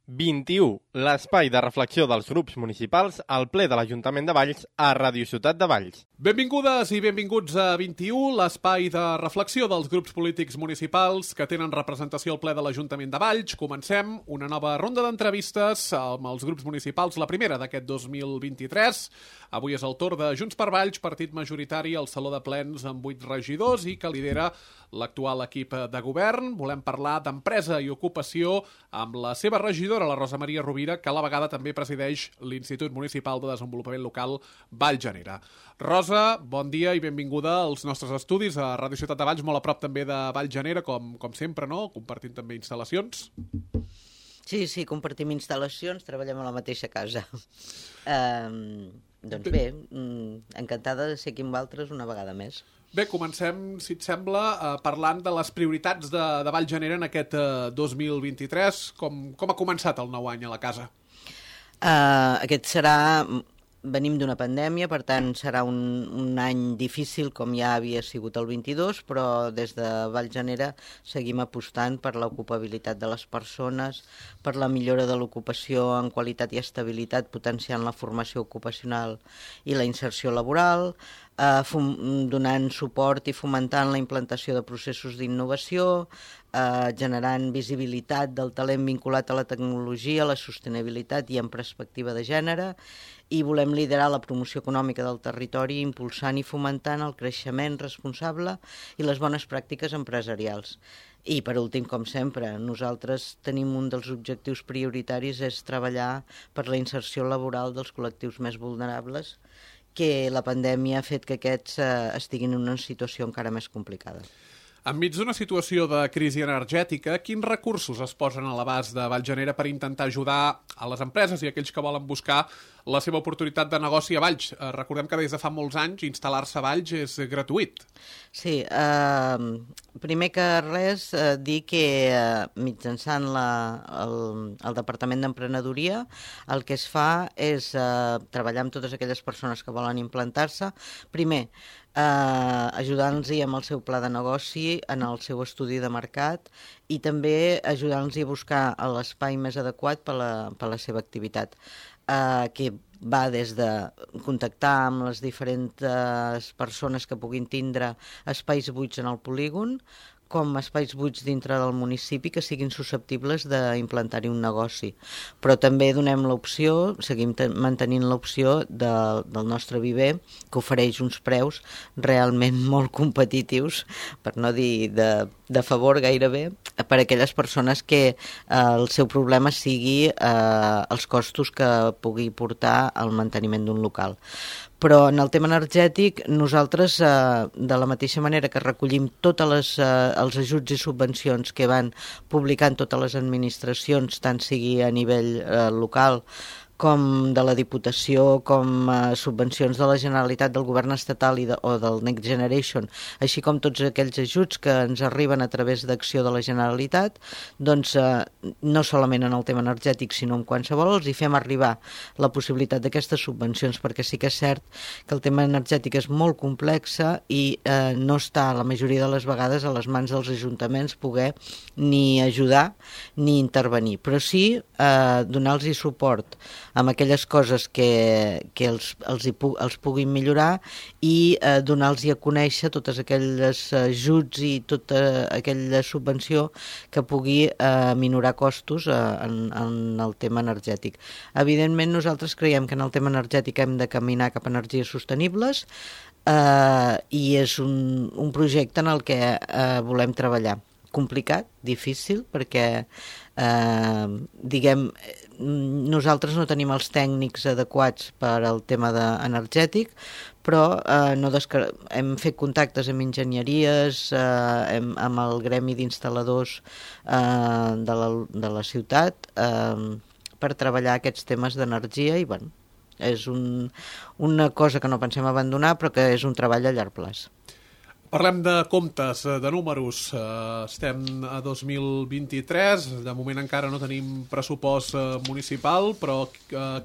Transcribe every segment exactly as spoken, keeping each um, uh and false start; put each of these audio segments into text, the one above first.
vint-i-u, l'espai de reflexió dels grups municipals al ple de l'Ajuntament de Valls a Ràdio Ciutat de Valls. Benvingudes i benvinguts a vint-i-u, l'espai de reflexió dels grups polítics municipals que tenen representació al ple de l'Ajuntament de Valls. Comencem una nova ronda d'entrevistes amb els grups municipals, la primera d'aquest dos mil vint-i-tres. Avui és el torn de Junts per Valls, partit majoritari al Saló de Plens amb vuit regidors i que lidera l'actual equip de govern. Volem parlar d'empresa i ocupació amb la seva regidora, la Rosa Maria Rovira, que a la vegada també presideix l'Institut Municipal de Desenvolupament Local Vallgenera. Rosa, bon dia i benvinguda als nostres estudis a Ràdio Ciutat de Valls, molt a prop també de Vallgenera, com, com sempre, no? Compartint també instal·lacions. Sí, sí, compartim instal·lacions, treballem a la mateixa casa. Um, doncs bé, encantada de ser aquí amb vosaltres una vegada més. Bé, comencem, si et sembla, eh, parlant de les prioritats de, de Vallgenera en aquest eh, dos mil vint-i-tres. Com, com ha començat el nou any a la casa? Uh, aquest serà... Venim d'una pandèmia, per tant serà un, un any difícil com ja havia sigut el vint-i-dos, però des de Vallgenera seguim apostant per l'ocupabilitat de les persones, per la millora de l'ocupació en qualitat i estabilitat, potenciant la formació ocupacional i la inserció laboral, eh, fom donant suport i fomentant la implantació de processos d'innovació, eh, generant visibilitat del talent vinculat a la tecnologia, la sostenibilitat i en perspectiva de gènere, i volem liderar la promoció econòmica del territori impulsant i fomentant el creixement responsable i les bones pràctiques empresarials. I per últim, com sempre, nosaltres tenim un dels objectius prioritaris és treballar per la inserció laboral dels col·lectius més vulnerables, que la pandèmia ha fet que aquests eh, estiguin en una situació encara més complicada. Enmig d'una situació de crisi energètica, quins recursos es posen a l'abast de Vallgenera per intentar ajudar a les empreses i aquells que volen buscar la seva oportunitat de negoci a Valls? Eh, recordem que des de fa molts anys instal·lar-se a Valls és gratuït. Sí, eh, primer que res eh, dir que eh, mitjançant la, el, el Departament d'Emprenedoria el que es fa és eh, treballar amb totes aquelles persones que volen implantar-se. Primer, Uh, ajudant-los amb el seu pla de negoci, en el seu estudi de mercat i també ajudant-los a buscar l'espai més adequat per la, per la seva activitat, uh, que va des de contactar amb les diferents persones que puguin tindre espais buits en el polígon, com espais buits dintre del municipi que siguin susceptibles d'implantar-hi un negoci. Però també donem l'opció, seguim mantenint l'opció de, del nostre viver, que ofereix uns preus realment molt competitius, per no dir de, de favor gairebé, per a aquelles persones que eh, el seu problema sigui eh, els costos que pugui portar al manteniment d'un local. Però en el tema energètic, nosaltres, eh, de la mateixa manera que recollim tots les, eh, els ajuts i subvencions que van publicant totes les administracions, tant sigui a nivell eh, local com de la Diputació, com eh, subvencions de la Generalitat, del govern estatal i de, o del Next Generation, així com tots aquells ajuts que ens arriben a través d'acció de la Generalitat, doncs eh, no solament en el tema energètic, sinó en qualsevol, els hi fem arribar la possibilitat d'aquestes subvencions, perquè sí que és cert que el tema energètic és molt complex i eh, no està la majoria de les vegades a les mans dels ajuntaments poder ni ajudar ni intervenir, però sí eh, donar-los suport amb aquelles coses que, que els, els, hi pu els puguin millorar i eh, donar-los a conèixer totes aquelles ajuts i tota aquella subvenció que pugui eh, minorar costos eh, en, en el tema energètic. Evidentment, nosaltres creiem que en el tema energètic hem de caminar cap a energies sostenibles eh, i és un, un projecte en el que eh, volem treballar. Complicat, difícil, perquè eh, diguem, nosaltres no tenim els tècnics adequats per al tema de energètic, però eh, no hem fet contactes amb enginyeries, eh, hem, amb el gremi d'instal·ladors eh, de, la, de la ciutat eh, per treballar aquests temes d'energia i bueno, és un, una cosa que no pensem abandonar però que és un treball a llarg plaç. Parlem de comptes, de números. Estem a dos mil vint-i-tres, de moment encara no tenim pressupost municipal, però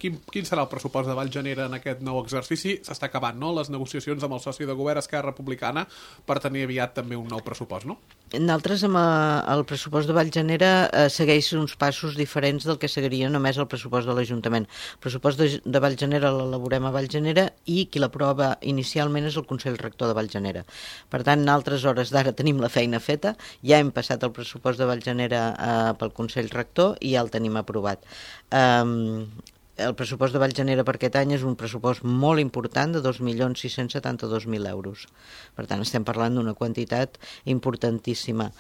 quin, quin serà el pressupost de Vallgenera en aquest nou exercici? S'està acabant, no?, les negociacions amb el soci de govern Esquerra Republicana per tenir aviat també un nou pressupost, no? Nosaltres, amb el pressupost de Vallgenera, eh, segueix uns passos diferents del que seguiria només el pressupost de l'Ajuntament. El pressupost de, de Vallgenera l'elaborem a Vallgenera i qui l'aprova inicialment és el Consell Rector de Vallgenera. Per tant, en altres hores d'ara tenim la feina feta, ja hem passat el pressupost de Vallgenera eh, pel Consell Rector i ja el tenim aprovat. Um, el pressupost de Vallgenera per aquest any és un pressupost molt important de dos milions sis-cents setanta-dos mil euros. Per tant, estem parlant d'una quantitat importantíssima,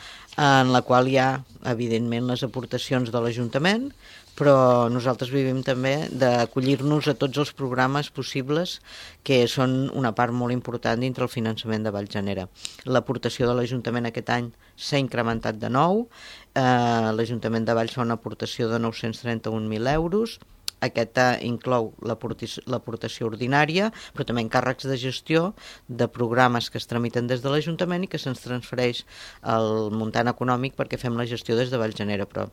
en la qual hi ha, evidentment, les aportacions de l'Ajuntament, però nosaltres vivim també d'acollir-nos a tots els programes possibles que són una part molt important dintre el finançament de Vallgenera. L'aportació de l'Ajuntament aquest any s'ha incrementat de nou, eh, l'Ajuntament de Valls fa una aportació de nou-cents trenta-un mil euros, aquesta inclou l'aportació ordinària, però també encàrrecs de gestió de programes que es tramiten des de l'Ajuntament i que se'ns transfereix el muntant econòmic perquè fem la gestió des de Vallgenera, però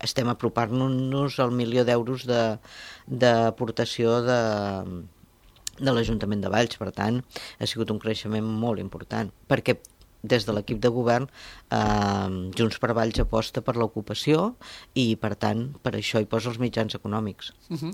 estem apropant-nos al milió d'euros d'aportació de, de, de l'Ajuntament de Valls. Per tant, ha sigut un creixement molt important, perquè des de l'equip de govern eh, Junts per Valls aposta per l'ocupació i, per tant, per això hi posa els mitjans econòmics. Uh-huh.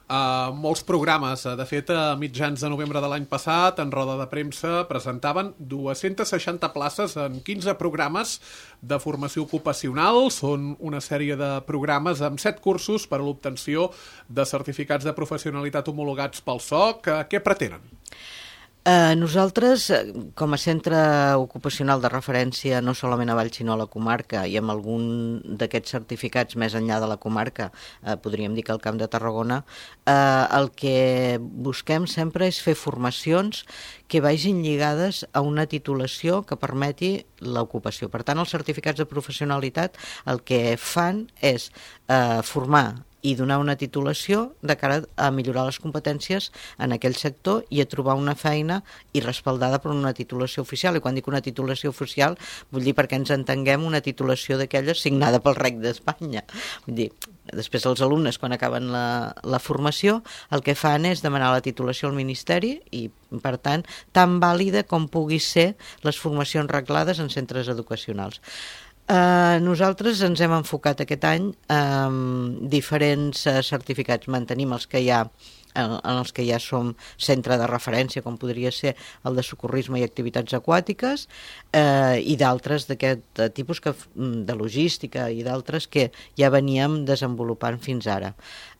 Uh, molts programes, de fet, a mitjans de novembre de l'any passat, en roda de premsa, presentaven dues-centes seixanta places en quinze programes de formació ocupacional. Són una sèrie de programes amb set cursos per a l'obtenció de certificats de professionalitat homologats pel S O C. Què pretenen? Eh, nosaltres, com a centre ocupacional de referència no solament a Valls sinó a la comarca i amb algun d'aquests certificats més enllà de la comarca, eh, podríem dir que al Camp de Tarragona, eh, el que busquem sempre és fer formacions que vagin lligades a una titulació que permeti l'ocupació. Per tant, els certificats de professionalitat el que fan és eh, formar i donar una titulació de cara a millorar les competències en aquell sector i a trobar una feina i respaldada per una titulació oficial. I quan dic una titulació oficial, vull dir perquè ens entenguem una titulació d'aquelles signada pel Rec d'Espanya. Vull dir, després els alumnes, quan acaben la, la formació, el que fan és demanar la titulació al Ministeri i, per tant, tan vàlida com pugui ser les formacions reglades en centres educacionals. Uh, nosaltres ens hem enfocat aquest any amb diferents uh, certificats. Mantenim els que hi ha, en els que ja som centre de referència, com podria ser el de socorrisme i activitats aquàtiques, eh, i d'altres d'aquest tipus, que, de logística i d'altres que ja veníem desenvolupant fins ara.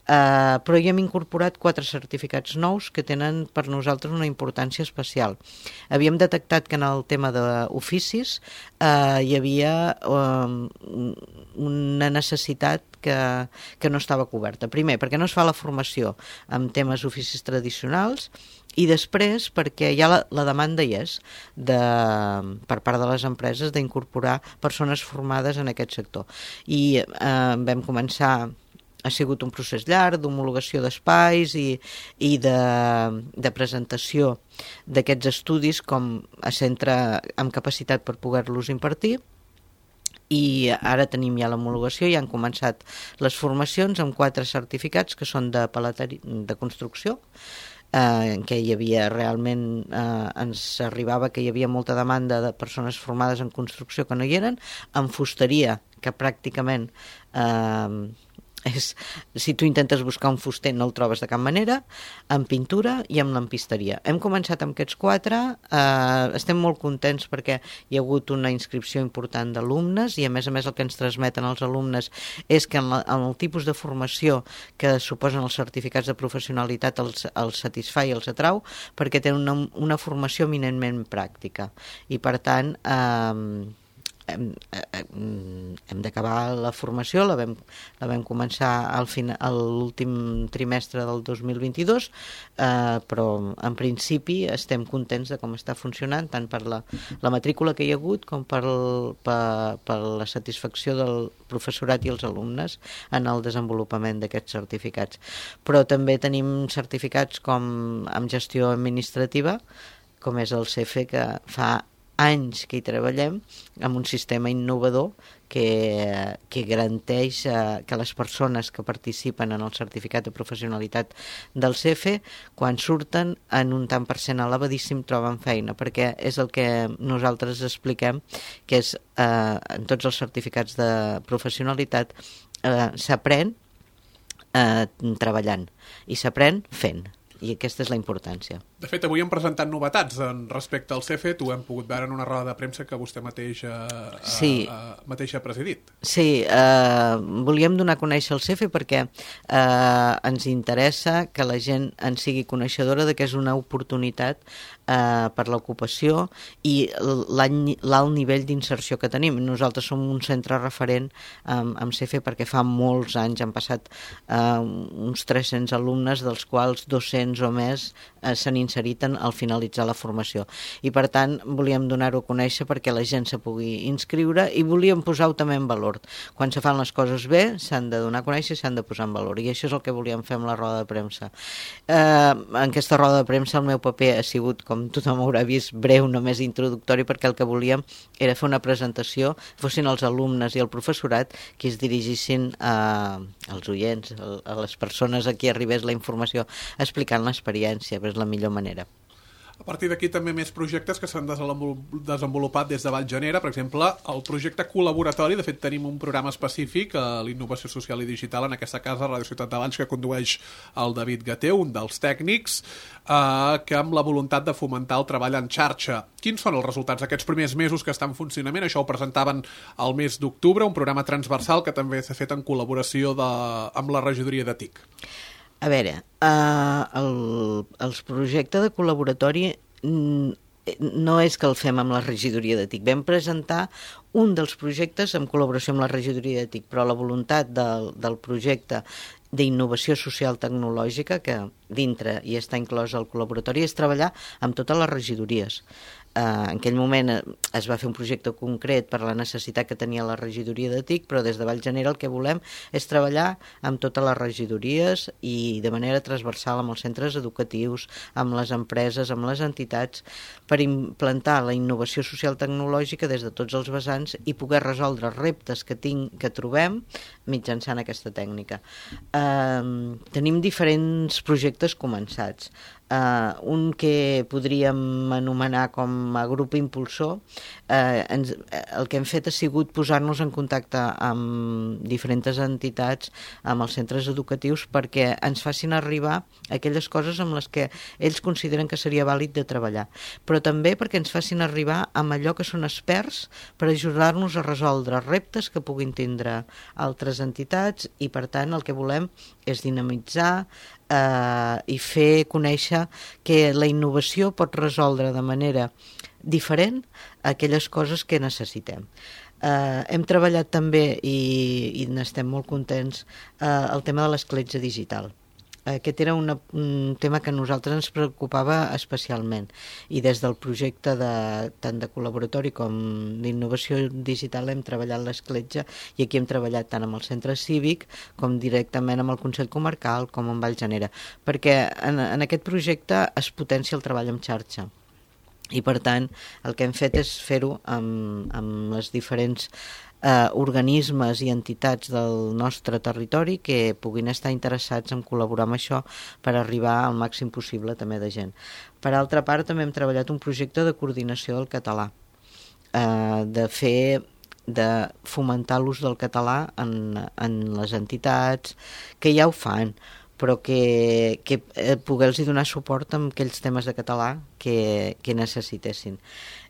Uh, però hi hem incorporat quatre certificats nous que tenen per nosaltres una importància especial. Havíem detectat que en el tema d'oficis uh, hi havia um, una necessitat que, que no estava coberta. Primer, perquè no es fa la formació en temes oficis tradicionals, i després perquè ja la, la demanda hi és de, per part de les empreses d'incorporar persones formades en aquest sector. I uh, vam començar... Ha sigut un procés llarg d'homologació d'espais i, i de, de presentació d'aquests estudis com a centre amb capacitat per poder-los impartir, i ara tenim ja l'homologació i han començat les formacions amb quatre certificats que són de paleteria, de construcció, eh, en què hi havia realment, eh, ens arribava que hi havia molta demanda de persones formades en construcció que no hi eren, en fusteria, que pràcticament... Eh, És, si tu intentes buscar un fuster no el trobes de cap manera, en pintura i en lampisteria. Hem començat amb aquests quatre, eh, estem molt contents perquè hi ha hagut una inscripció important d'alumnes i a més a més el que ens transmeten els alumnes és que en, la, en el tipus de formació que suposen els certificats de professionalitat els, els satisfà i els atrau perquè tenen una, una formació eminentment pràctica i per tant... Eh, Hem, hem d'acabar la formació, la vam, la vam començar al final, a l'últim trimestre del dos mil vint-i-dos, eh, però en principi estem contents de com està funcionant, tant per la, la matrícula que hi ha hagut com per, el, per, per la satisfacció del professorat i els alumnes en el desenvolupament d'aquests certificats. Però també tenim certificats com amb gestió administrativa, com és el C F, que fa anys que hi treballem amb un sistema innovador que, que garanteix eh, que les persones que participen en el certificat de professionalitat del C E F E, quan surten en un tant per cent elevadíssim troben feina, perquè és el que nosaltres expliquem, que és eh, en tots els certificats de professionalitat eh, s'aprèn eh, treballant i s'aprèn fent, i aquesta és la importància. De fet, avui hem presentat novetats en respecte al C E F E. Tu hem pogut veure en una roda de premsa que vostè mateix, eh, sí. eh, mateix ha presidit. Sí, eh, volíem donar a conèixer el C E F E perquè eh, ens interessa que la gent en sigui coneixedora de que és una oportunitat eh, per l'ocupació i l'alt nivell d'inserció que tenim. Nosaltres som un centre referent amb, amb C E F E perquè fa molts anys han passat eh, uns tres-cents alumnes, dels quals dos-cents o més eh, s'han inserit en, al finalitzar la formació. I per tant volíem donar-ho a conèixer perquè la gent se pugui inscriure i volíem posar-ho també en valor. Quan se fan les coses bé s'han de donar a conèixer i s'han de posar en valor, i això és el que volíem fer amb la roda de premsa. Eh, en aquesta roda de premsa el meu paper ha sigut, com tothom haurà vist, breu, només introductori, perquè el que volíem era fer una presentació, fossin els alumnes i el professorat qui es dirigissin a, als oients, a les persones a qui arribés la informació, explicant l'experiència, però és la millor manera. A partir d'aquí també més projectes que s'han desenvolupat des de Vallgenera, per exemple, el projecte col·laboratori. De fet, tenim un programa específic a l'innovació social i digital en aquesta casa, Ràdio Ciutat de Valls, que condueix el David Gateu, un dels tècnics, eh, que amb la voluntat de fomentar el treball en xarxa. Quins són els resultats d'aquests primers mesos que estan en funcionament? Això ho presentaven al mes d'octubre, un programa transversal que també s'ha fet en col·laboració de, amb la regidoria de T I C. A veure, eh, el, els projectes de col·laboratori no és que el fem amb la regidoria de T I C. Vam presentar un dels projectes en col·laboració amb la regidoria de T I C, però la voluntat del, del projecte d'innovació social tecnològica, que dintre hi està inclòs el col·laboratori, és treballar amb totes les regidories. Eh, en aquell moment es va fer un projecte concret per la necessitat que tenia la regidoria de T I C, però des de Vallgenera el que volem és treballar amb totes les regidories i de manera transversal amb els centres educatius, amb les empreses, amb les entitats, per implantar la innovació social tecnològica des de tots els vessants i poder resoldre reptes que, tinc, que trobem mitjançant aquesta tècnica. Eh, tenim diferents projectes començats. Uh, un que podríem anomenar com a grup impulsor. Uh, ens, el que hem fet ha sigut posar-nos en contacte amb diferents entitats, amb els centres educatius, perquè ens facin arribar aquelles coses amb les que ells consideren que seria vàlid de treballar, però també perquè ens facin arribar amb allò que són experts per ajudar-nos a resoldre reptes que puguin tindre altres entitats, i per tant el que volem és dinamitzar eh, i fer conèixer que la innovació pot resoldre de manera diferent aquelles coses que necessitem. Eh, hem treballat també, i, i n'estem molt contents, eh, el tema de l'escletxa digital. Aquest era una, un tema que a nosaltres ens preocupava especialment, i des del projecte de, tant de col·laboratori com d'innovació digital hem treballat l'escletxa, i aquí hem treballat tant amb el centre cívic com directament amb el Consell Comarcal com amb Vallgenera, perquè en, en aquest projecte es potencia el treball en xarxa. I per tant el que hem fet és fer-ho amb, amb les diferents Eh, organismes i entitats del nostre territori que puguin estar interessats en col·laborar amb això per arribar al màxim possible també de gent. Per altra part, també hem treballat un projecte de coordinació del català, eh, de fer de fomentar l'ús del català en, en les entitats que ja ho fan, però que, que poder-los donar suport amb aquells temes de català que, que necessitessin.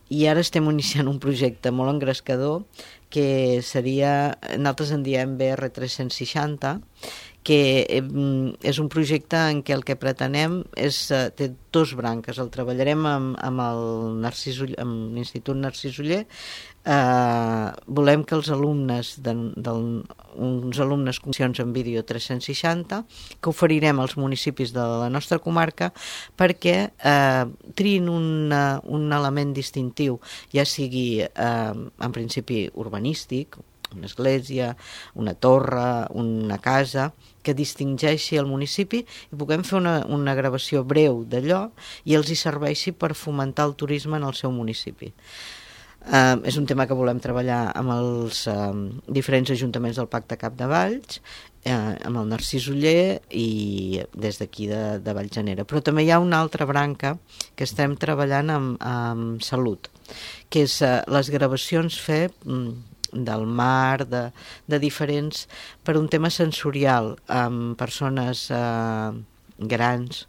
I ara estem iniciant un projecte molt engrescador que seria, nosaltres en diem B R tres-cents seixanta, que és un projecte en què el que pretenem és, té dos branques. El treballarem amb, amb el Narcís Oller, amb l'Institut Narcís Oller. Eh, volem que els alumnes, de, de, uns alumnes condicions en vídeo tres-cents seixanta, que oferirem als municipis de la nostra comarca perquè eh, triïn una, un element distintiu, ja sigui eh, en principi urbanístic una església, una torre, una casa, que distingeixi el municipi i puguem fer una, una gravació breu d'allò i els hi serveixi per fomentar el turisme en el seu municipi. Uh, és un tema que volem treballar amb els uh, diferents ajuntaments del Pacte Capdevalls, uh, amb el Narcís Oller i des d'aquí de, de Vallgenera. Però també hi ha una altra branca que estem treballant amb, amb salut, que és uh, les gravacions fer um, del mar, de, de diferents, per un tema sensorial, amb persones uh, grans,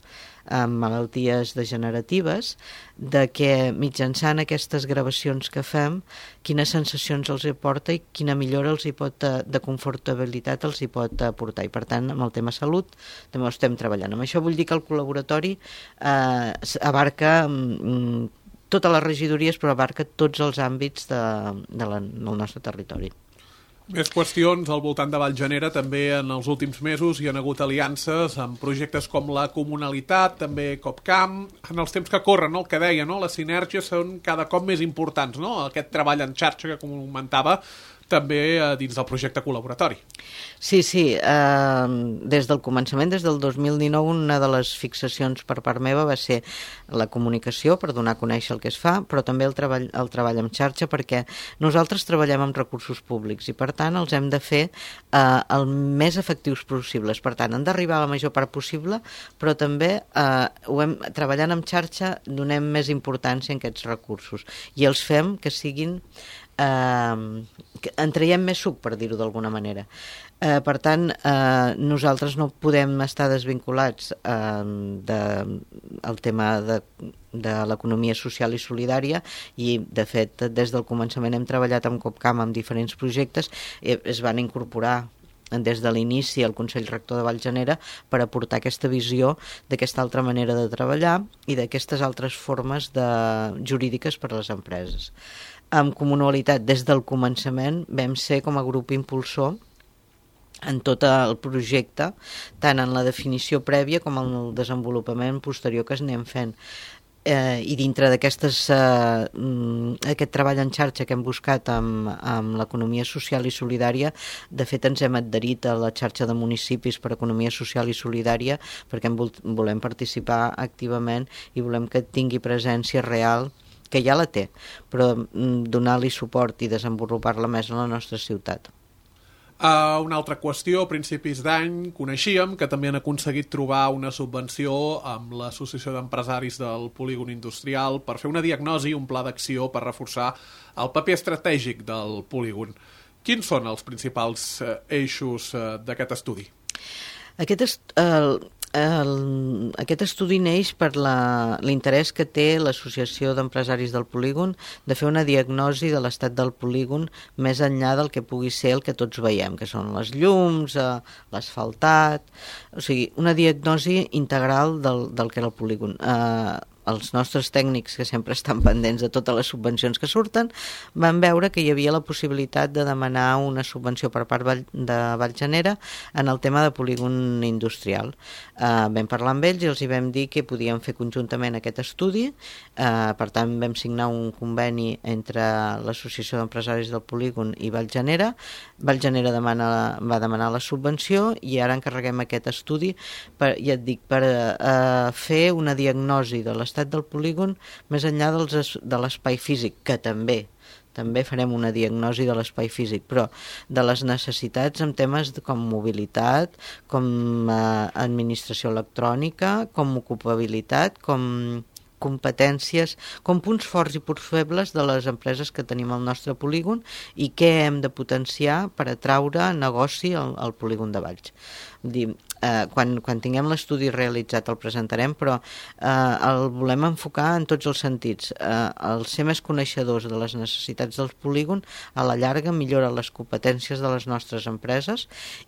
amb malalties degeneratives, de que mitjançant aquestes gravacions que fem, quines sensacions els aporta i quina millora els hi pot, de confortabilitat els hi pot aportar. I per tant, amb el tema salut també ho estem treballant. Amb això vull dir que el col·laboratori eh, abarca mm, totes les regidories, però abarca tots els àmbits de, de la, del nostre territori. Més qüestions al voltant de Vallgenera. També en els últims mesos hi ha hagut aliances amb projectes com la Comunalitat, també CopCamp. En els temps que corren, no? El que deia, no? Les sinergies són cada cop més importants, no? Aquest treball en xarxa que comentava també eh, dins del projecte col·laboratori. Sí, sí. Eh, des del començament, des del dos mil dinou, una de les fixacions per part meva va ser la comunicació, per donar a conèixer el que es fa, però també el treball, el treball en xarxa, perquè nosaltres treballem amb recursos públics i, per tant, els hem de fer eh, el més efectius possibles. Per tant, han d'arribar a la major part possible, però també eh, ho hem, treballant en xarxa donem més importància en aquests recursos i els fem que siguin Uh, en traiem més suc, per dir-ho d'alguna manera. Uh, per tant, uh, nosaltres no podem estar desvinculats uh, del de, tema de, de l'economia social i solidària i, de fet, des del començament hem treballat amb CopCamp amb diferents projectes i es van incorporar des de l'inici al Consell Rector de Vallgenera per aportar aquesta visió d'aquesta altra manera de treballar i d'aquestes altres formes de, jurídiques per a les empreses. Amb Comunalitat, des del començament, vam ser com a grup impulsor en tot el projecte, tant en la definició prèvia com en el desenvolupament posterior que es anem fent. Eh, I dintre d'aquestes eh, aquest treball en xarxa que hem buscat amb, amb l'economia social i solidària, de fet ens hem adherit a la xarxa de municipis per economia social i solidària perquè en vol, volem participar activament i volem que tingui presència real, que ja la té, però donar-li suport i desenvolupar-la més en la nostra ciutat. Uh, una altra qüestió, a principis d'any coneixíem que també han aconseguit trobar una subvenció amb l'Associació d'Empresaris del Polígon Industrial per fer una diagnosi, un pla d'acció per reforçar el paper estratègic del polígon. Quins són els principals uh, eixos uh, d'aquest estudi? Aquest est el, el, aquest estudi neix per l'interès que té l'Associació d'Empresaris del Polígon de fer una diagnosi de l'estat del polígon més enllà del que pugui ser el que tots veiem, que són les llums, eh, l'asfaltat, o sigui, una diagnosi integral del, del que era el polígon. Eh, els nostres tècnics, que sempre estan pendents de totes les subvencions que surten, van veure que hi havia la possibilitat de demanar una subvenció per part de Vallgenera en el tema de polígon industrial. Uh, vam parlar amb ells i els hi vam dir que podíem fer conjuntament aquest estudi, uh, per tant vam signar un conveni entre l'Associació d'Empresaris del Polígon i Vallgenera. Vallgenera demana, va demanar la subvenció i ara encarreguem aquest estudi per, ja et dic, per uh, fer una diagnosi de l'estat del polígon més enllà dels, de l'espai físic, que també també farem una diagnosi de l'espai físic, però de les necessitats en temes com mobilitat, com eh, administració electrònica, com ocupabilitat, com competències, com punts forts i punts febles de les empreses que tenim al nostre polígon i què hem de potenciar per atraure negoci al, al polígon de Valls. Dir, eh, quan, quan tinguem l'estudi realitzat el presentarem, però eh, el volem enfocar en tots els sentits. Eh, el ser més coneixedors de les necessitats del polígon a la llarga millora les competències de les nostres empreses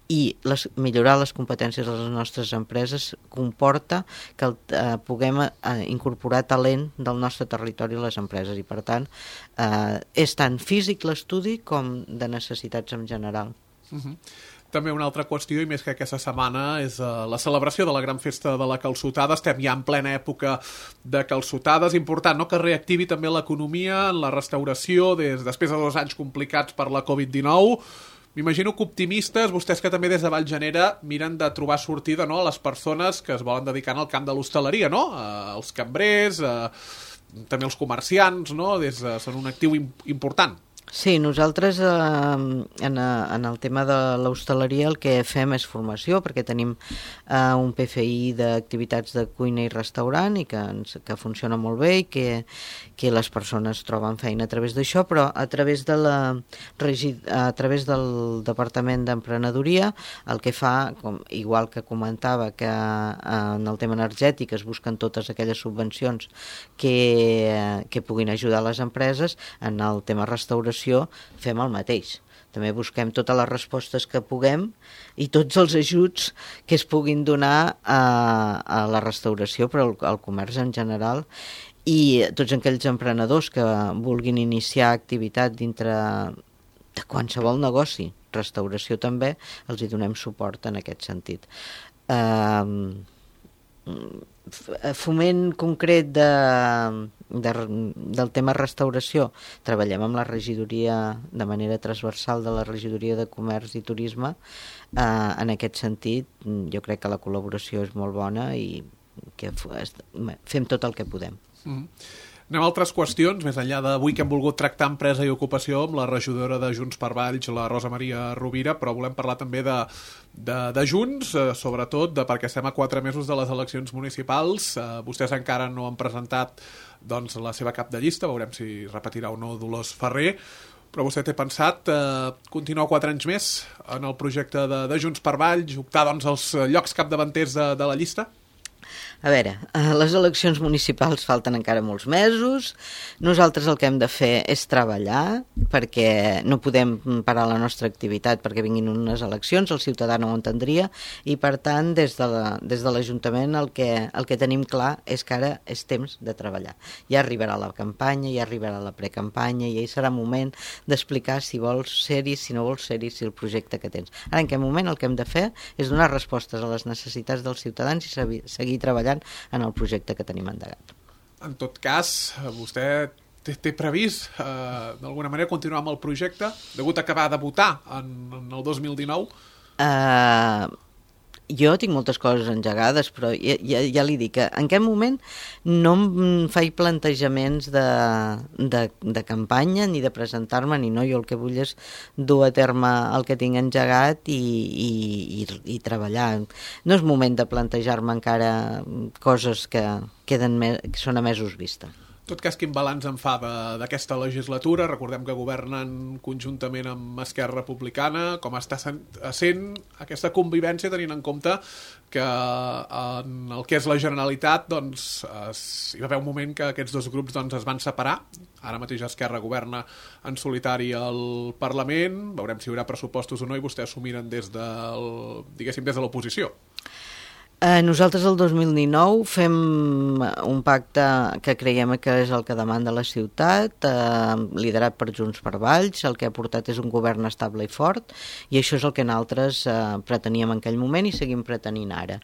i les, millorar les competències de les nostres empreses comporta que el, eh, puguem eh, incorporar talent del nostre territori a les empreses i per tant eh, és tant físic l'estudi com de necessitats en general. Uh-huh. També una altra qüestió, i més que aquesta setmana, és uh, la celebració de la gran festa de la calçotada. Estem ja en plena època de calçotades. Important, no?, que reactivi també l'economia en la restauració des, després de dos anys complicats per la covid dinou. M'imagino que optimistes, vostès que també des de Vallgenera miren de trobar sortida, no?, a les persones que es volen dedicar al camp de l'hostaleria, no?, uh, els cambrers, uh, també els comerciants, no?, des, uh, són un actiu im important. Sí, nosaltres eh, en, en el tema de l'hostaleria el que fem és formació, perquè tenim eh, un P F I d'activitats de cuina i restaurant i que, ens, que funciona molt bé i que, que les persones troben feina a través d'això, però a través, de la, a través del Departament d'Emprenedoria el que fa, com, igual que comentava que eh, en el tema energètic es busquen totes aquelles subvencions que, que puguin ajudar les empreses, en el tema restauració fem el mateix. També busquem totes les respostes que puguem i tots els ajuts que es puguin donar a, a la restauració, però al, al comerç en general, i tots aquells emprenedors que vulguin iniciar activitat dintre de qualsevol negoci, restauració també, els hi donem suport en aquest sentit. Uh, foment concret de, de, del tema restauració, treballem amb la regidoria de manera transversal de la regidoria de comerç i turisme. Eh, en aquest sentit jo crec que la col·laboració és molt bona i que fem tot el que podem. Mm. Anem a altres qüestions, més enllà d'avui que hem volgut tractar empresa i ocupació amb la regidora de Junts per Valls, la Rosa Maria Rovira, però volem parlar també de, de, de Junts, eh, sobretot de, perquè estem a quatre mesos de les eleccions municipals. Eh, vostès encara no han presentat doncs, la seva cap de llista, veurem si repetirà o no Dolors Ferrer, però vostè té pensat eh, continuar quatre anys més en el projecte de, de Junts per Valls, optar doncs, als llocs capdavanters de, de la llista? A veure, les eleccions municipals falten encara molts mesos. Nosaltres el que hem de fer és treballar, perquè no podem parar la nostra activitat perquè vinguin unes eleccions, el ciutadà no ho entendria, i per tant des de la, des de l'Ajuntament el que, el que tenim clar és que ara és temps de treballar. Ja arribarà la campanya, ja arribarà la precampanya, i ja serà moment d'explicar si vols ser-hi, si no vols ser-hi, si el projecte que tens. Ara en aquest moment el que hem de fer és donar respostes a les necessitats dels ciutadans i seguir treballant en el projecte que tenim endegat. En tot cas, vostè té, té previst eh, d'alguna manera continuar amb el projecte, degut a acabar de votar en, en el dos mil dinou? Uh, jo tinc moltes coses engegades, però ja, ja, ja li dic que en aquest moment no em faig plantejaments de, de, de campanya ni de presentar-me, ni no. Jo el que vull és dur a terme el que tinc engegat i, i, i, i treballar. No és moment de plantejar-me encara coses que, queden me, que són a mesos vista. En tot cas, quin balanç en fa d'aquesta legislatura? Recordem que governen conjuntament amb Esquerra Republicana. Com està sent aquesta convivència, tenint en compte que en el que és la Generalitat doncs, es, hi va haver un moment que aquests dos grups doncs, es van separar. Ara mateix Esquerra governa en solitari al Parlament. Veurem si hi haurà pressupostos o no i vostès s'ho miren des del, diguéssim, des de l'oposició. Eh, nosaltres el dos mil dinou fem un pacte que creiem que és el que demanda la ciutat, eh, liderat per Junts per Valls. El que ha portat és un govern estable i fort, i això és el que nosaltres eh, preteníem en aquell moment i seguim pretenint ara.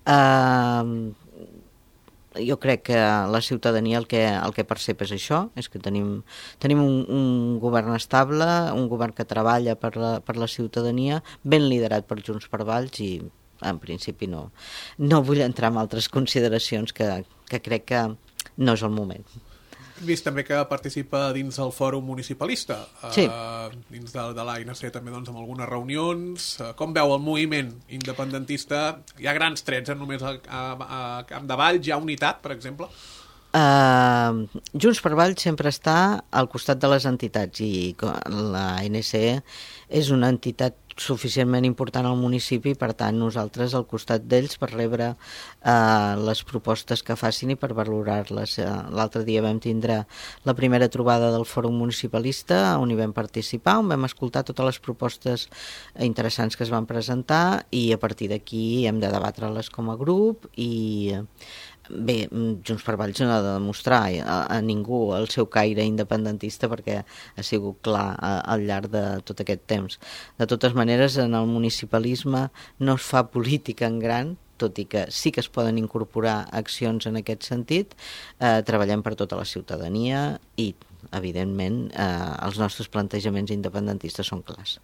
Eh, jo crec que la ciutadania el que, el que percep és això, és que tenim, tenim un, un govern estable, un govern que treballa per la, per la ciutadania, ben liderat per Junts per Valls, i en principi no, no vull entrar en altres consideracions que, que crec que no és el moment. Hem vist també que participa dins del fòrum municipalista, sí. eh, dins de, de l'A N C també doncs, amb algunes reunions. Eh, com veu el moviment independentista? Hi ha grans trets, eh? Només a, a, a Camp de Valls hi ha unitat, per exemple? Uh, Junts per Valls sempre està al costat de les entitats, i la A N C és una entitat suficientment important al municipi, per tant nosaltres al costat d'ells per rebre uh, les propostes que facin i per valorar-les. Uh, l'altre dia vam tindre la primera trobada del Fòrum Municipalista on hi vam participar, on vam escoltar totes les propostes interessants que es van presentar, i a partir d'aquí hem de debatre-les com a grup i bé, Junts per Valls no ha de demostrar a, a ningú el seu caire independentista perquè ha sigut clar a, al llarg de tot aquest temps. De totes maneres, en el municipalisme no es fa política en gran, tot i que sí que es poden incorporar accions en aquest sentit. Eh, treballem per tota la ciutadania i, evidentment, eh, els nostres plantejaments independentistes són clars.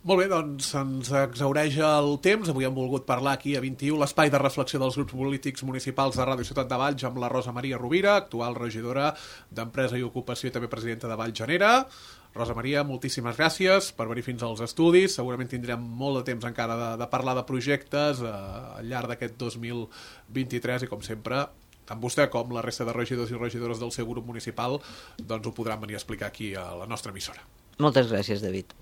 Molt bé, doncs ens exhaureix el temps. Avui hem volgut parlar aquí a vint i u, l'espai de reflexió dels grups polítics municipals de Ràdio Ciutat de Valls, amb la Rosa Maria Rovira, actual regidora d'Empresa i Ocupació i també presidenta de Valls Genera. Rosa Maria, moltíssimes gràcies per venir fins als estudis. Segurament tindrem molt de temps encara de, de parlar de projectes eh, al llarg d'aquest dos mil vint-i-tres i, com sempre, tant vostè com la resta de regidors i regidores del seu grup municipal doncs ho podran venir a explicar aquí a la nostra emissora. Moltes gràcies, David.